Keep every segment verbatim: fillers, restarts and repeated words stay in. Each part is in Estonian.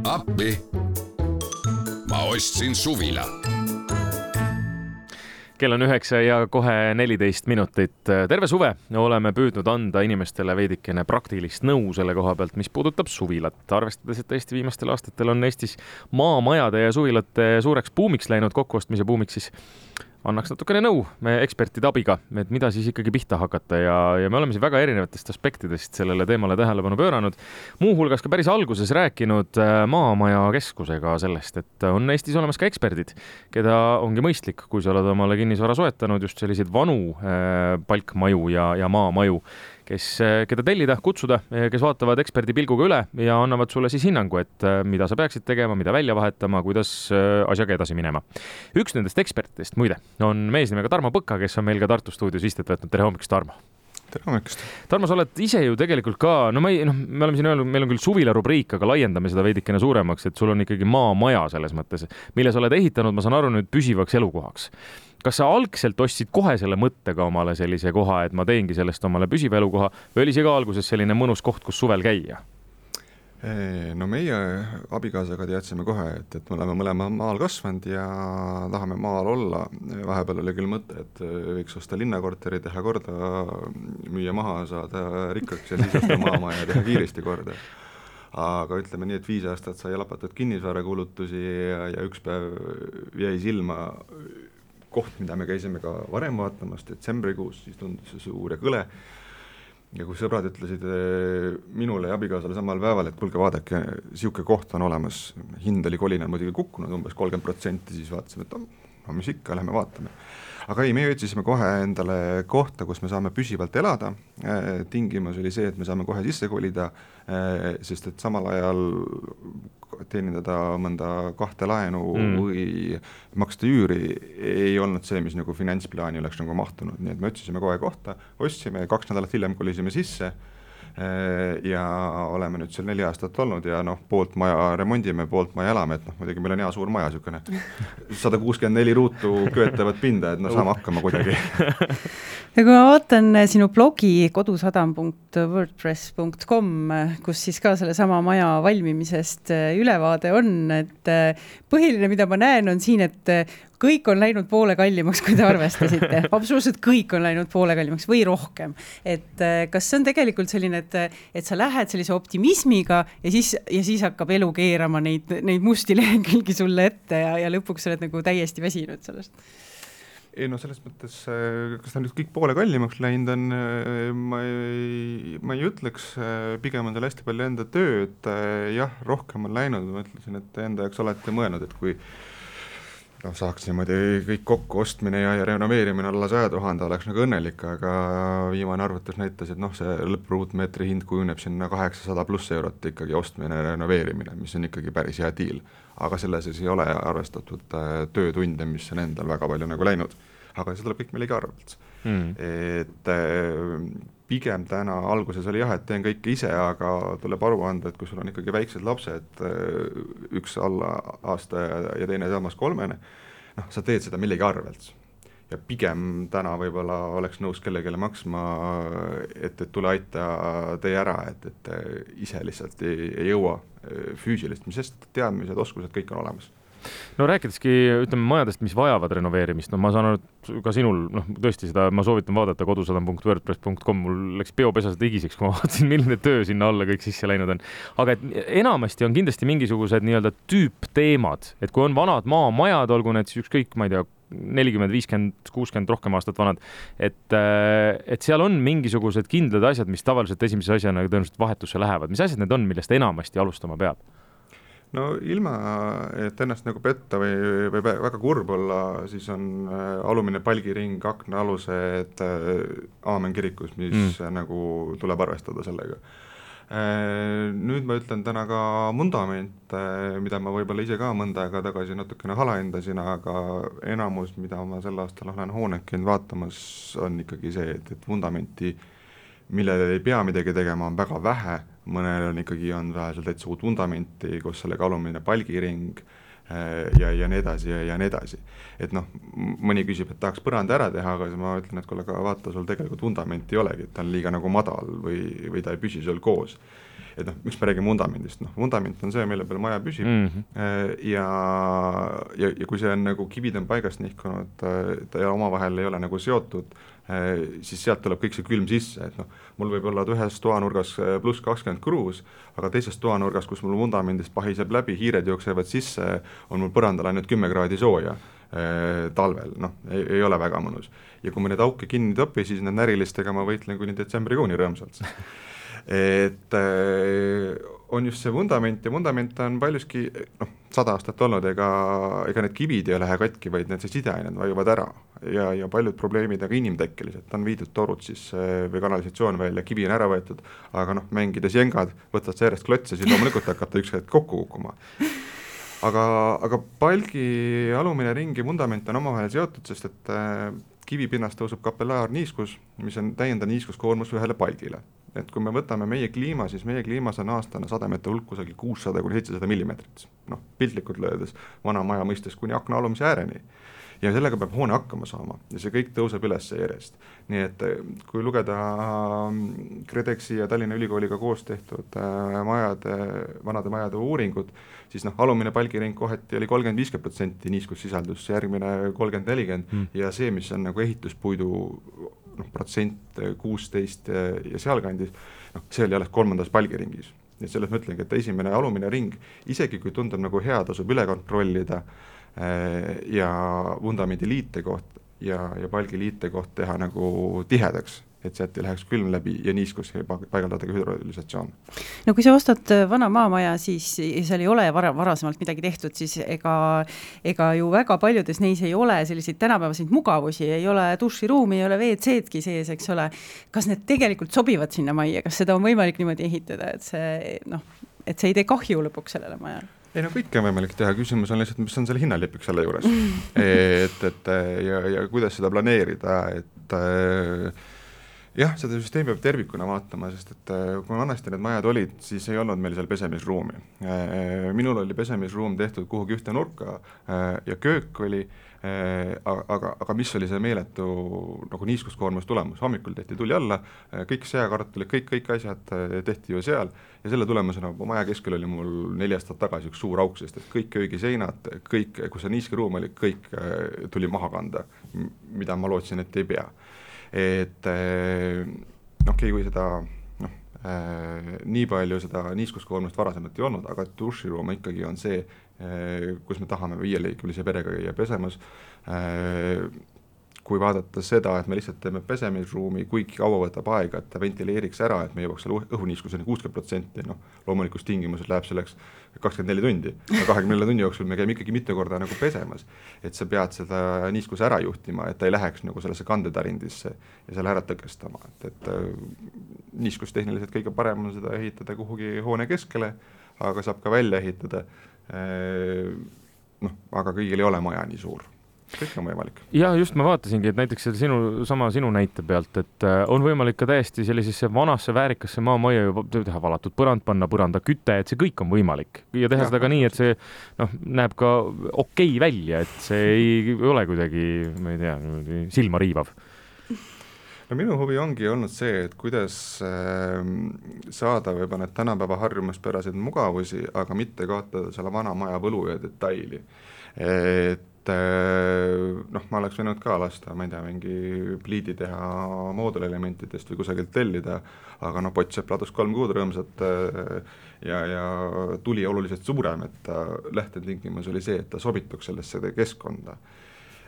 appi. Ma ostsin suvila. Kell on üheksa ja kohe neliteist minutit. Terve suve oleme püüdnud anda inimestele veidikene praktilist nõu selle koha pealt, mis puudutab suvilat. Arvestades, et Eesti viimastel aastatel on Eestis maamajade ja suvilate suureks buumiks läinud, kokkuostmise buumiks, siis annaks natukene nõu me ekspertide abiga, et mida siis ikkagi pihta hakata ja, ja me oleme siin väga erinevatest aspektidest sellele teemale tähelepanu pööranud. Muuhulgas ka päris alguses rääkinud Maamaja keskusega sellest, et on Eestis olemas ka eksperdid, keda ongi mõistlik, kui sa oled omale kinnisvara soetanud, just selliseid vanu äh, palkmaju ja, ja maamaju, kes, keda tellida, kutsuda, kes vaatavad eksperdi pilguga üle ja annavad sulle siis hinnangu, et mida sa peaksid tegema, mida välja vahetama, kuidas asjaga edasi minema. Üks nendest ekspertidest, muide, on mees nimega Tarmo Põka, kes on meil ka Tartu stuudios istet võtnud. Tere hommikust, Tarmo! Tere hommikust! Tarmo, sa oled ise ju tegelikult ka, no, ma ei, no me oleme siin öelnud, meil on küll suvila rubriik, aga laiendame seda veidikene suuremaks, et sul on ikkagi maamaja selles mõttes, mille sa oled ehitanud, ma saan aru nüüd püsivaks elukohaks. Kas sa algselt ostsid kohe selle mõttega omale sellise koha, et ma teengi sellest omale püsiva elukoha, või oli see ka alguses selline mõnus koht, kus suvel käia? No meie abikaasaga teadsime kohe, et, et me oleme mõlema maal kasvanud ja tahame maal olla. Vahepeal oli küll mõte, et võiks osta linnakorteri, teha korda, müüa maha, saada rikkaks ja siis osta maamaja ja teha kiiresti korda. Aga ütleme nii, et viis aastat sai lapatud kinnisvara kulutusi ja, ja üks päev jäi silma koht, mida me käisime ka varem vaatamas, detsembrikuus, siis tundus see suur ja kõle. Ja kui sõbrad ütlesid minule ja abikaasale samal päeval, et kuulge, vaadake, siuke koht on olemas, hind oli kolina muidugi kukkunud umbes kolmkümmend protsenti, siis vaatasime, et no, mis ikka, lähme vaatame. Aga ei, me otsisime kohe endale kohta, kus me saame püsivalt elada. Tingimus oli see, et me saame kohe sisse kolida, sest et samal ajal teenindada mõnda kahte laenu mm. või maksta üüri ei olnud see, mis nagu finantsplaani oleks nagu mahtunud. Nii et me otsisime kohe kohta, ostsime, kaks nädalat hiljem kolisime sisse ja oleme nüüd seal neli aastat olnud ja noh, poolt maja remondime, poolt maja elame, et noh, muidugi meil on hea suur maja, sükene sada kuuskümmend neli ruutu köötavat pinda, et no saame hakkama kuidagi. Ja kui ma vaatan sinu blogi kodusadam punkt wordpress punkt com, kus siis ka selle sama maja valmimisest ülevaade on, et põhiline, mida ma näen, on siin, et kõik on läinud poole kallimaks, kui te arvestasite. Absoluutselt kõik on läinud poole kallimaks või rohkem. Et kas see on tegelikult selline, et, et sa lähed sellise optimismiga ja siis, ja siis hakkab elu keerama neid, neid musti lehekülgi sulle ette ja, ja lõpuks sa oled nagu täiesti väsinud sellest? Ei no selles mõttes, kas ta nüüd kõik poole kallimaks läinud on, ma ei, ma ei ütleks, pigem on seal hästi palju enda tööd, jah, rohkem on läinud, ma ütlesin, et enda jaoks olete mõelnud, et kui no, saaks niimoodi kõik kokku ostmine ja, ja renoveerimine alla saja tuhande oleks nagu õnnelik, aga viimane arvutus näitas, et noh, see lõppruutmeetri hind kujuneb sinna kaheksasada pluss eurot ikkagi ostmine ja renoveerimine, mis on ikkagi päris hea diil. Aga selles ei ole arvestatud töötunde, mis on endal väga palju nagu läinud. Aga see tuleb kõik millegi arvelt. Mm. Et pigem täna alguses oli jah, et teen kõike ise, aga tuleb aru anda, et kui sul on ikkagi väiksed lapsed, üks alla aasta ja teine samas kolmene, noh, sa teed seda millegi arvelt. Ja pigem täna võib-olla oleks nõus kellegele maksma, et, et tule aita tee ära, et, et ise lihtsalt ei, ei jõua füüsilist, mis sest teadmised, oskused, kõik on olemas. No rääkideski, ütleme, majadest, mis vajavad renoveerimist, no ma saan aru, et ka sinul, noh, tõesti seda, ma soovitan vaadata kodusadam punkt wordpress punkt com, mul läks peopesas igiseks, kui ma vaatasin, milline töö sinna alla kõik sisse läinud on. Aga et enamasti on kindlasti mingisugused nii-öelda tüüpteemad, et kui on vanad maamajad, olgu need siis ükskõik, ma ei tea, nelikümmend, viiskümmend, kuuskümmend rohkem aastat vanad, et, et seal on mingisugused kindlad asjad, mis tavaliselt esimese asjana tõenäoliselt vahetusse lähevad. Mis asjad need on, millest enamasti alustama peab? No ilma, et ennast nagu petta või, või väga kurb olla, siis on alumine palgiring, akna alused Aamen kirikus, mis mm. nagu tuleb arvestada sellega. Nüüd ma ütlen täna ka mundament, mida ma võib-olla ise ka mõnda aega tagasi natukene halaendasin, aga enamus, mida ma sel aastal olen hoonekind vaatamas, on ikkagi see, et, et vundamenti, millele ei pea midagi tegema, on väga vähe, mõnel on ikkagi on vähe täitsa uut vundamenti, kus sellega alumine palgiring ja, ja nii edasi ja, ja nii edasi. Et noh, mõni küsib, et tahaks põranda ära teha, aga ma ütlen, et kui vaata, sul tegelikult vundamenti ei olegi, et ta on liiga nagu madal või, või ta ei püsi sul koos. et noh, miks me räägime vundamendist, noh, vundament on see, mille peal maja püsib mm -hmm. ja, ja, ja kui see on nagu kivid on paigast nihkunud, ta ja omavahel ei ole nagu seotud, siis sealt tuleb kõik see külm sisse, et noh, mul võib olla ühes toanurgas pluss kakskümmend kruus, aga teises toanurgas, kus mul vundamendist pahiseb läbi, hiired jooksevad sisse, on mul põrandal ainult kümme kraadi sooja talvel, noh, ei, ei ole väga mõnus. Ja kui me need auke kinni topi, siis need närilistega ma võitlen kuni detsembrikuuni rõõmsalt. Et on just see vundament ja vundament on paljuski, noh, sada aastat olnud, ega, ega need kivid ei lähe katki, vaid need sideained vajuvad ära ja, ja paljud probleemid aga inimtekkelised, on viidud torud siis või kanalisatsioon välja, kivi on ära võetud, aga noh, mängides jengad, võtad sa järjest klotse, siis loomulikult hakata üks hetk kokku kukkuma. Aga, aga palgi alumine ring ja vundament on omavahel seotud, sest et äh, kivipinnast tõusub kapellaarniiskus, mis on täiendav niiskuskoormus ühele palgile. Et kui me võtame meie kliima, siis meie kliimas on aastane sademete hulk kusagil kuussada kuni seitsesada millimeetrit. Noh, piltlikult löödes vana maja mõistes kuni akna alumise ääreni. Ja sellega peab hoone hakkama saama ja see kõik tõuseb üles järjest. Nii et kui lugeda KredExi ja Tallinna Ülikooliga koos tehtud äh, majade, vanade majade uuringud, siis noh, alumine palgiring kohati oli kolmkümmend viiskümmend protsenti niiskussisaldus, järgmine kolmkümmend nelikümmend mm. ja see, mis on nagu ehituspuidu noh, protsent kuusteist ja sealkandis, noh, see oli alles kolmandas palgiringis. Ja selles mõtlengi, et esimene alumine ring, isegi kui tundub nagu hea, tasub üle kontrollida ja vundamendi liite koht ja, ja palgi liite koht teha nagu tihedaks, et sealt ei läheks külm läbi ja niiskus ja paigaldada ka hüdrolisatsioon. No kui sa ostad vana maamaja, siis seal ei ole vara, varasemalt midagi tehtud, siis ega, ega ju väga paljudes neis ei ole selliseid tänapäevaseid mugavusi, ei ole duširuumi, ei ole V C-dki sees, eks ole. Kas need tegelikult sobivad sinna majja, kas seda on võimalik niimoodi ehitada, et see, noh, et see ei tee kahju lõpuks sellele majale? Ei no kõike on võimalik teha, küsimus on lihtsalt, mis on selle hinnalipik selle juures et, et ja, ja kuidas seda planeerida, et jah, seda süsteemi peab tervikuna vaatama, sest et kui vanasti need majad olid, siis ei olnud meil seal pesemisruumi. Minul oli pesemisruum tehtud kuhugi ühte nurka ja köök oli, aga, aga mis oli see meeletu nagu niiskuskoormus tulemus, hommikul tehti tuli alla, kõik seakartulid, kõik, kõik asjad tehti ju seal ja selle tulemusena maja keskel oli mul neli aastat tagasi üks suur auk, sest et kõik köögiseinad, kõik, kus see niiskeruum oli, kõik tuli maha kanda, mida ma lootsin, et ei pea. Et noh, okay, kui seda noh, äh, nii palju seda niiskuskoormust varasemalt ei olnud, aga duširuum ikkagi on see, äh, kus me tahame viieliikmelise perega käia pesemas. Äh, kui vaadata seda, et me lihtsalt teeme pesemisruumi, kuigi kaua võtab aega, et ta ventileeriks ära, et me jõuaks selle õhuniiskuseni kuuskümmend protsenti, noh, loomulikus tingimuses läheb selleks kakskümmend neli tundi, ja kahekümne nelja tunni jooksul me käime ikkagi mitu korda nagu pesemas, et sa pead seda niiskuse ära juhtima, et ta ei läheks nagu sellesse kandetarindisse ja selle ära tõkestama, et, et niiskustehniliselt kõige parem on seda ehitada kuhugi hoone keskele, aga saab ka välja ehitada, noh, aga kõigil ei ole maja nii suur. Kõik on võimalik. Ja just ma vaatasingi, et näiteks sinu, sama sinu näite pealt, et on võimalik ka täiesti sellisesse vanasse väärikasse maamajja ju teha valatud põrand, panna põranda küte, et see kõik on võimalik. Ja teha ja, seda ka nii, et see noh, näeb ka okei välja, et see ei ole kuidagi, ma ei tea, silma riivav. No minu huvi ongi olnud see, et kuidas äh, saada võib-olla need tänapäeva harjumuspäraseid mugavusi, aga mitte kaotada selle vana maja võlu ja detaili. Et noh, ma oleks võinud ka lasta, ma ei tea, mingi pliidi teha moodulelementidest või kusagilt tellida, aga noh, Potsepp ladus kolm kuud rõõmsat ja, ja tuli oluliselt suurem, et lähtetingimus oli see, et ta sobituks sellesse keskkonda.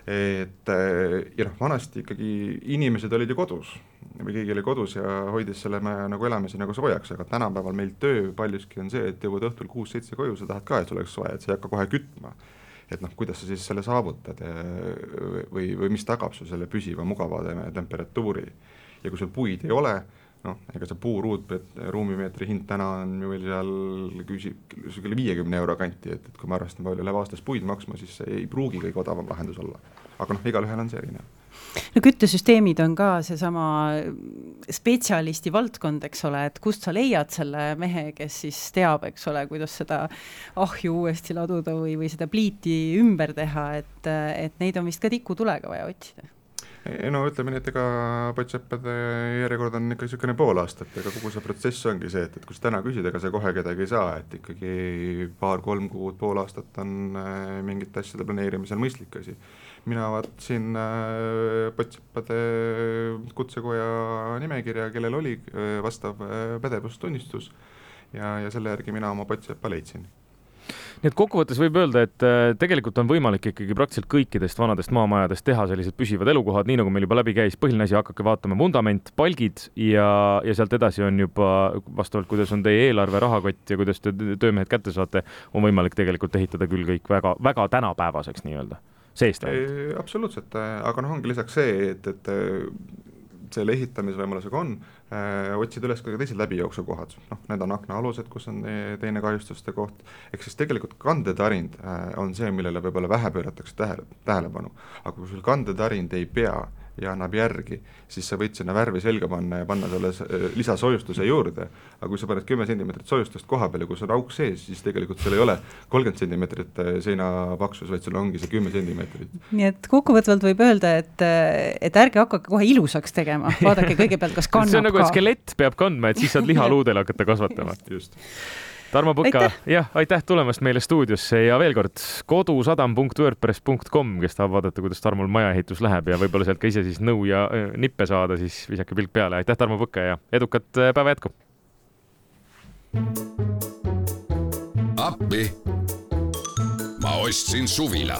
Et ja noh, vanasti ikkagi inimesed olid ju kodus või keegi oli kodus ja hoidis selle me nagu elamise nagu soojaks, aga tänapäeval meil töö paljuski on see, et jõuad õhtul kuus seitse koju, sa tahad ka, et see oleks soe, et sa ei hakka kohe kütma. Et noh, kuidas sa siis selle saavutad või, või mis tagab su selle püsiva mugava temperatuuri. Ja kui sul puid ei ole, noh, ega see puuruud, ruumimeetri hind täna on ju veel seal küsib viiekümne euro kanti, et, et kui ma arvestan palju läheb aastas puid maksma, siis see ei pruugi kõige odavam lahendus olla. Aga noh, igal ühel on see erinev. No küttesüsteemid on ka seesama spetsialisti valdkond, eks ole, et kust sa leiad selle mehe, kes siis teab, eks ole, kuidas seda ahju uuesti laduda või, või seda pliiti ümber teha, et, et neid on vist ka tikutulega vaja otsida. no ütleme nii, et ega potseppade järjekord on ikka niisugune pool aastat, ega kogu see protsess ongi see, et, et kui sa täna küsid, ega sa kohe kedagi ei saa, et ikkagi paar-kolm kuud, pool aastat on mingite asjade planeerimisel mõistlik asi. Mina vaatasin potseppade kutsekoja nimekirja, kellel oli vastav pädevustunnistus ja, ja selle järgi mina oma potseppa leidsin. Nii et kokkuvõttes võib öelda, et tegelikult on võimalik ikkagi praktiliselt kõikidest vanadest maamajadest teha sellised püsivad elukohad, nii nagu meil juba läbi käis, põhiline asi, hakake vaatama vundament, palgid ja, ja sealt edasi on juba vastavalt, kuidas on teie eelarve, rahakott ja kuidas te töömehed kätte saate, on võimalik tegelikult ehitada küll kõik väga, väga tänapäevaseks nii-öelda. Seest ei, absoluutselt, aga noh, ongi lisaks see, et, et selle ehitamisvõimalusega on, äh, otsida üles ka teised läbijooksukohad. Noh, need on aknaalused, kus on teine kahjustuste koht. Ehk siis tegelikult kandetarind äh, on see, millele võib-olla vähe pööratakse tähele, tähelepanu. Aga kui sul kandetarind ei pea ja annab järgi, siis sa võid sinna värvi selga panna ja panna selle lisasoojustuse juurde. Aga kui sa paned kümme sentimeetrit soojustust koha peale, kui sul on auk sees, siis tegelikult seal ei ole kolmkümmend sentimeetrit seina paksus, vaid sul ongi see kümme sentimeetrit. Nii et kokkuvõtvalt võib öelda, et, et ärge hakake kohe ilusaks tegema. Vaadake kõigepealt, kas kannab ka. See on nagu, et skelett peab kandma, et siis saad lihaluudel hakata kasvatama. Just. Tarmo Põka, jah, aitäh tulemast meile stuudiosse ja veel kord kodusadam punkt wordpress punkt com, kes tahab vaadata, kuidas Tarmol majaehitus läheb ja võib-olla sealt ka ise siis nõu ja nippe saada, siis visake pilk peale. Aitäh, Tarmo Põka ja edukat päeva jätku! Appi! Ma ostsin suvila.